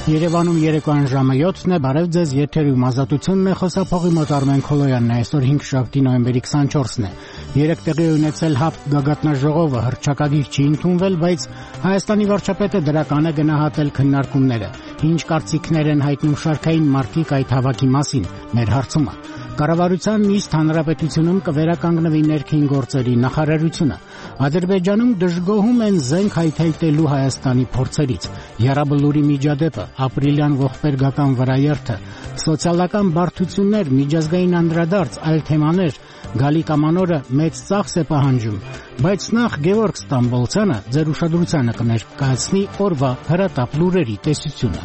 Երևանում երեկոյան ժամը 7-ն է, բարև ձեզ, եթերում ազատությունն է, խոսափողի մոտ Արմեն Քոլոյանն է, այսօր 5 նոյեմբերի 24-ն է։ Երեկ տեղի ունեցել ՀԱՊԿ գագաթնաժողովը, հռչակագիր չի ընդունվել, բայց Հայաստանի վարչապետը դրական է գնահատել քննարկումները։ Ինչ կարծիքներ են հայտնում շարքային մարդիկ այդ հավաքի մասին, մեր հարցումը։ Կառավարության նիստ հանրապետությունում կվերականգնվի ներքին գործերի նախարարությունը։ Ադրբեջանում դժգոհում են զենք հայթայթելու Հայաստանի փորձերից։ Եռաբլուրի միջադեպը, ապրիլյան ողբերգական վրաերթը, սոցիալական բարդություններ, միջազգային անդրադարձ, այլ թեմաներ։ Գալիք ամանորը մեծ ծախս է պահանջում, բայց նախ Գևորգ Ստամբոլցյանը ձեր ուշադրությանը կներկայացնի օրվա հրատապ լուրերի տեսությունը։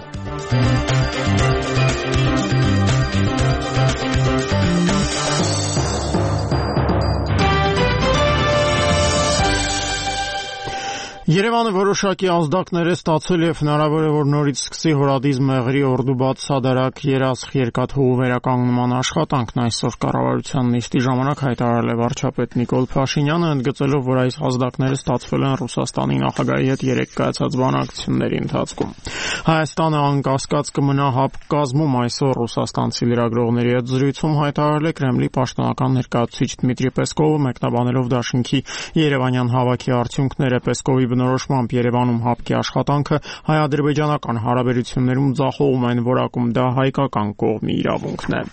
Երևանը որոշակի ազդակներ է ստացել եւ հնարավոր է որ նորից սկսի հորադիզ մեղրի օրդուբաց սադարակ երասխ երկաթուղու վերականգնման աշխատանքն այսօր կառավարության նիստի ժամանակ հայտարարել է վարչապետ Նիկոլ Փաշինյանը, ընդգծելով, որ այս ազդակները ստացվել են Ռուսաստանի նախագահի հետ երեկ կայացած բանակցությունների ընթացքում։ Հայաստանը անկասկած կմնա ՀԱՊԿ կազմում, այսօր ռուսաստանցի լրագրողների հետ զրույցում հայտարարել է Կրեմլի պաշտոնական ներկայացուցիչ Դմիտրի Պեսկովը, մեկնաբանելով դաշինքի երևանյան հավաքի արդյունքները։ Պեսկովի բնորոշմամբ Երևանում ՀԱՊԿ-ի աշխատանքը հայ-ադրբեջանական հարաբերություններում ձախողում են որակում, դա հայկական կողմի իրավունքն է։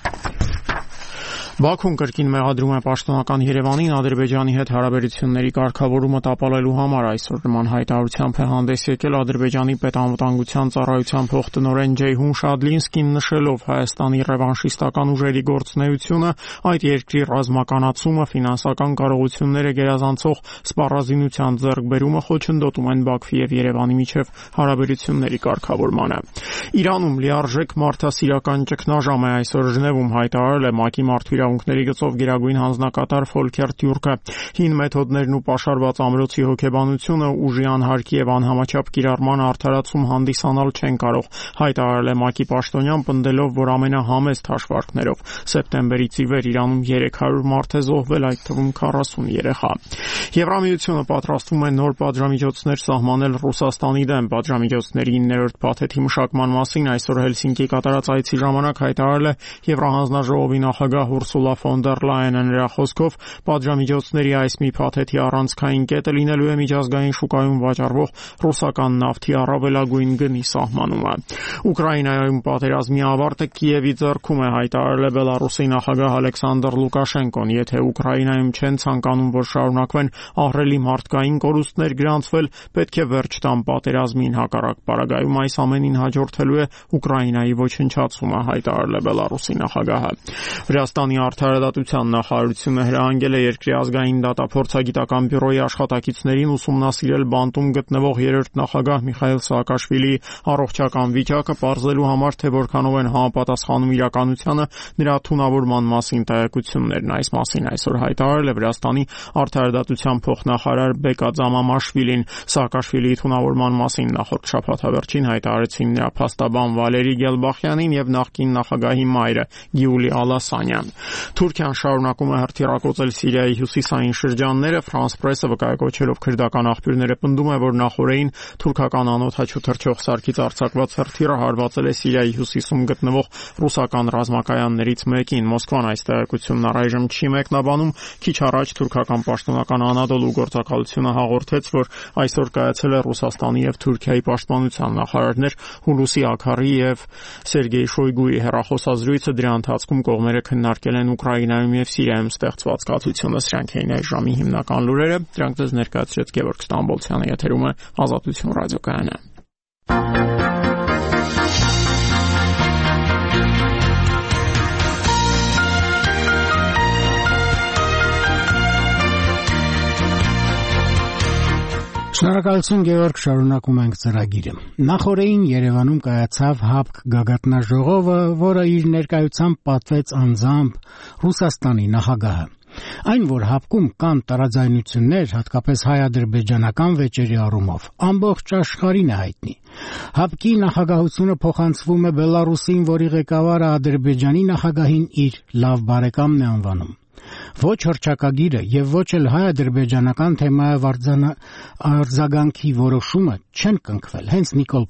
Բաքուն կրկին մեղադրում է պաշտոնական Երևանին Ադրբեջանի հետ հարաբերությունների կարգավորումը տապալելու համար, այսօր նման հայտարարությամբ է հանդես եկել Ադրբեջանի պետանվտանգության ծառայության փոխտնօրեն Ջեյհուն Շադլինսկին, նշելով Հայաստանի ռևանշիստական ուժերի գործունեությունը, այդ երկրի ռազմականացումը, ֆինանսական կարողությունները գերազանցող սպառազինության ձեռքբերումը խոչընդոտում են Բաքվի եւ Երևանի միջև հարաբերությունների կարգավորմանը։ Իրանում լիարժեք մարդասիրական ճգնաժամ է, այսօր Ժնևում հայտարարել է ՄԱԿ-ի մարդու գծով գերագույն հանձնակատար Ֆոլքեր Տյուրկը։ Հին մեթոդներն ու պաշարված ամրոցի հոգեբանությունը ուժի անհարկի եւ անհամաչափ կիրառման արդարացում հանդիսանալ չեն կարող, հայտարարել է ՄԱԿ-ի պաշտոնյան, պնդելով, որ ամենահամեստ հաշվարկներով սեպտեմբերից ի վեր Իրանում 300 մարդ է զոհվել, այդ թվում 40 երեխա։ Եվրամիությունը պատրաստվում է նոր պատժամիջոցներ սահմանել Ռուսաստանի դեմ։ Պատժամիջոցների 9-րդ փաթեթի մշակման մասին այսօր Հելսինկի կատարած այցի ժամանակ հայտարարել է Եվրահանձնաժողովի նախագահ Ուրսուլա ֆոն դեր Լայենը, նրա խոսքով պատժամիջոցների այս մի փաթեթի առանցքային կետը լինելու է միջազգային շուկայում վաճառվող ռուսական նավթի առավելագույն գնի սահմանումը։ Ուկրաինայում պատերազմի ավարտը Կիևի ձեռքում է, հայտարարել է Բելարուսի նախագահ Ալեքսանդր Լուկաշենկոն։ Եթե Ուկրաինայում չեն ցանկանում, որ շարունակվեն ահռելի մարդկային կորուստներ գրանցվել, պետք է վերջ տան պատերազմին, հակառակ պարագայում այս ամենին հաջորդելու է Ուկրաինայի ոչնչացումը, հայտարարել է Բելարուսի նախագահը։ Վրաստանի արդարադատության նախարարությունը հրահանգել է երկրի ազգային դատափորձագիտական բյուրոյի աշխատակիցներին ուսումնասիրել բանտում գտնվող երրորդ նախագահ Միխայիլ Սաակաշվիլիի առողջական վիճակը, պարզելու համար, թե որքանով են համապատասխանում իրականությանը նրա թունավորման մասին տեղեկություններն։ Այս մասին այսօր հայտարարել է Վրաստանի արդարադատության փոխնախարար Բեկա Ձամամաշվիլին։ Սաակաշվիլիի թունավորման մասին նախորդ շաբաթավերջին հայտարարեցին նրա փաստաբան Վալերի Գելբախյանին եւ նախկին նախագահի մայրը Գյուլի Ալասանյան։ Թուրքիան շարունակում է հրթիռակոծել Սիրիայի հյուսիսային շրջանները։ Ֆրանս պրեսը վկայակոչելով քրդական աղբյուրները պնդում է, որ նախորդին թուրքական անօդաչու թռչող սարքից արձակված հրթիռը հարվածել է Սիրիայի հյուսիսում գտնվող ռուսական ռազմակայաններից մեկին։ Մոսկվան այս տեղեկությունն առայժմ չի մեկնաբանում։ Քիչ առաջ թուրքական պաշտոնական Անադոլու գործակալությունը հաղորդեց, որ այսօր կայացել է Ռուսաստանի եւ Թուրքիայի պաշտպանության նախարարներ Հուլուսի Աքարի եւ Սերգեյ Շոյգուի հեռախոսազրույցը, դրա ընթացքում կողմերը քննարկել են Ուկրաինայում եւ Սիրիայում ստեղծված կացությունը։ Սրանք էին այս ժամի հիմնական լուրերը։ Դրանք ձեզ ներկայացրեց Գևորգ Ստամբոլցյանը, եթերում է Ազատություն ռադիոկայանը։ Շնորհակալություն Գևորգ, շարունակում ենք ծրագիրը։ Նախորդին Երևանում կայացավ ՀԱՊԿ գագաթնաժողովը, որը իր ներկայությամբ պատվեց անձամբ Ռուսաստանի նախագահը։ Այն, որ ՀԱՊԿ-ում կան տարաձայնություններ, հատկապես հայ-ադրբեջանական վեճերի առումով, ամբողջ աշխարհին է հայտնի։ ՀԱՊԿ-ի նախագահությունը փոխանցվում է Բելարուսին, որի ղեկավարը Ադրբեջանի նախագահին իր լավ բարեկամն է անվանում։ Ոչ հռչակագիրը եւ ոչ էլ հայ-ադրբեջանական թեմայով արձագանքի որոշումը չեն կնքվել։ Հենց Նիկոլ